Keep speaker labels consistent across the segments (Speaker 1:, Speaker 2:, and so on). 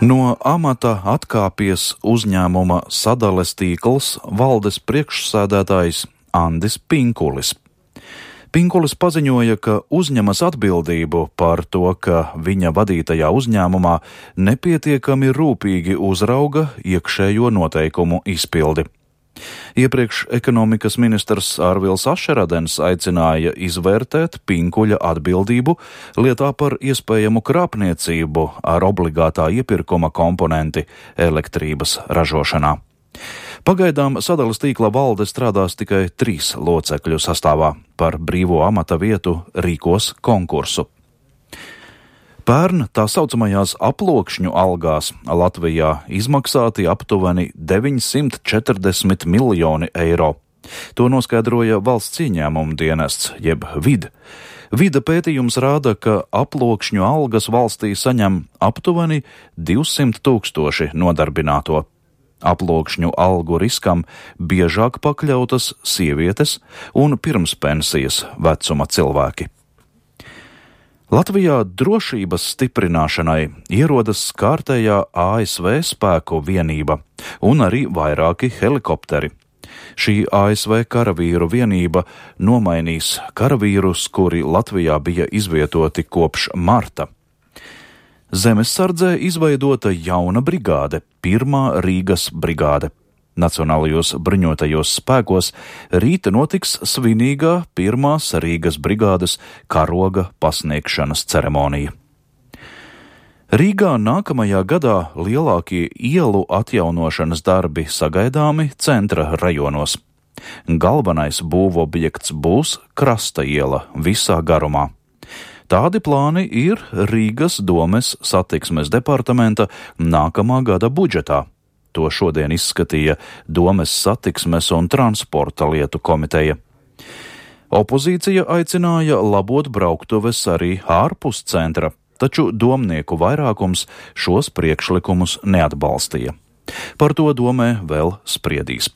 Speaker 1: No amata atkāpies uzņēmuma sadales tīkls valdes priekšsēdētājs Andis Pinkulis. Pinkulis paziņoja, ka uzņemas atbildību par to, ka viņa vadītajā uzņēmumā nepietiekami rūpīgi uzrauga iekšējo noteikumu izpildi. Iepriekš ekonomikas ministrs Arvils Ašeradens aicināja izvērtēt Pinkuļa atbildību lietā par iespējamu krāpniecību ar obligātā iepirkuma komponenti elektrības ražošanā. Pagaidām sadales tīkla valde strādās tikai 3 locekļu sastāvā. Par brīvo amata vietu rīkos konkursu. Pērn tā saucamajās aplokšņu algās Latvijā izmaksāti aptuveni 940 miljoni eiro. To noskaidroja valsts ieņēmuma dienests, jeb VID. Vida pētījums rāda, ka aplokšņu algas valstī saņem aptuveni 200 000 nodarbināto. Aplokšņu algu riskam biežāk pakļautas sievietes un pirmspensijas vecuma cilvēki. Latvijā drošības stiprināšanai ierodas kārtējā ASV spēku vienība un arī vairāki helikopteri. Šī ASV karavīru vienība nomainīs karavīrus, kuri Latvijā bija izvietoti kopš marta. Zemessardzē izveidota jauna brigāde, 1. Rīgas brigāde. Nacionālajos bruņotajos spēkos rīta notiks svinīgā 1. Rīgas brigādes karoga pasniegšanas ceremonija. Rīgā nākamajā gadā lielākie ielu atjaunošanas darbi sagaidāmi centra rajonos. Galvenais būvobjekts būs Krasta iela visā garumā. Tādi plāni ir Rīgas domes satiksmes departamenta nākamā gada budžetā. To šodien izskatīja Domes satiksmes un transporta lietu komiteja. Opozīcija aicināja labot brauktuves arī ārpus centra, taču domnieku vairākums šos priekšlikumus neatbalstīja. Par to domē vēl spriedīs.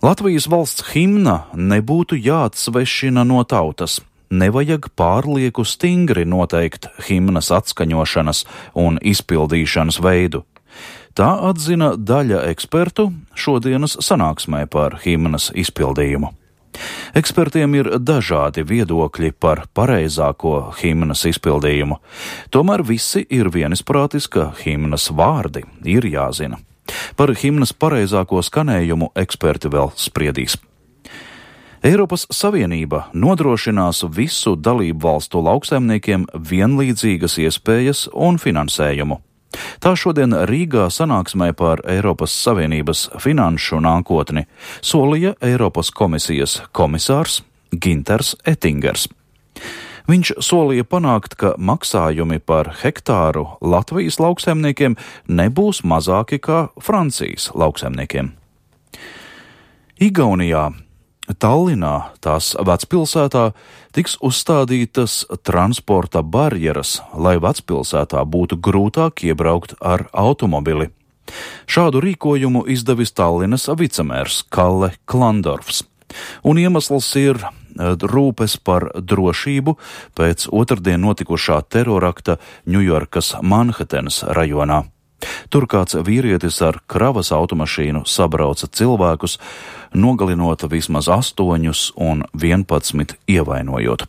Speaker 1: Latvijas valsts himna nebūtu jāatsvešina no tautas. Nevajag pārlieku stingri noteikt himnas atskaņošanas un izpildīšanas veidu. Tā atzina daļa ekspertu šodienas sanāksmē par himnas izpildījumu. Ekspertiem ir dažādi viedokļi par pareizāko himnas izpildījumu. Tomēr visi ir vienisprātis, ka himnas vārdi ir jāzina. Par himnas pareizāko skanējumu eksperti vēl spriedīs. Eiropas Savienība nodrošinās visu dalību valstu lauksaimniekiem vienlīdzīgas iespējas un finansējumu. Tā šodien Rīgā sanāksmē par Eiropas Savienības finanšu nākotni solīja Eiropas komisijas komisārs Ginters Ettingers. Viņš solīja panākt, ka maksājumi par hektāru Latvijas lauksaimniekiem nebūs mazāki kā Francijas lauksaimniekiem. Igaunijā Tallinā, tās vecpilsētā, tiks uzstādītas transporta barjeras, lai vecpilsētā būtu grūtāk iebraukt ar automobili. Šādu rīkojumu izdevis Tallinas vicemērs Kalle Klandorfs. Un iemesls ir rūpes par drošību pēc otrdien notikušā terorakta Ņujorkas Manhetenas rajonā. Tur kāds vīrietis ar kravas automašīnu sabrauca cilvēkus, nogalinot vismaz 8 un 11 ievainojot.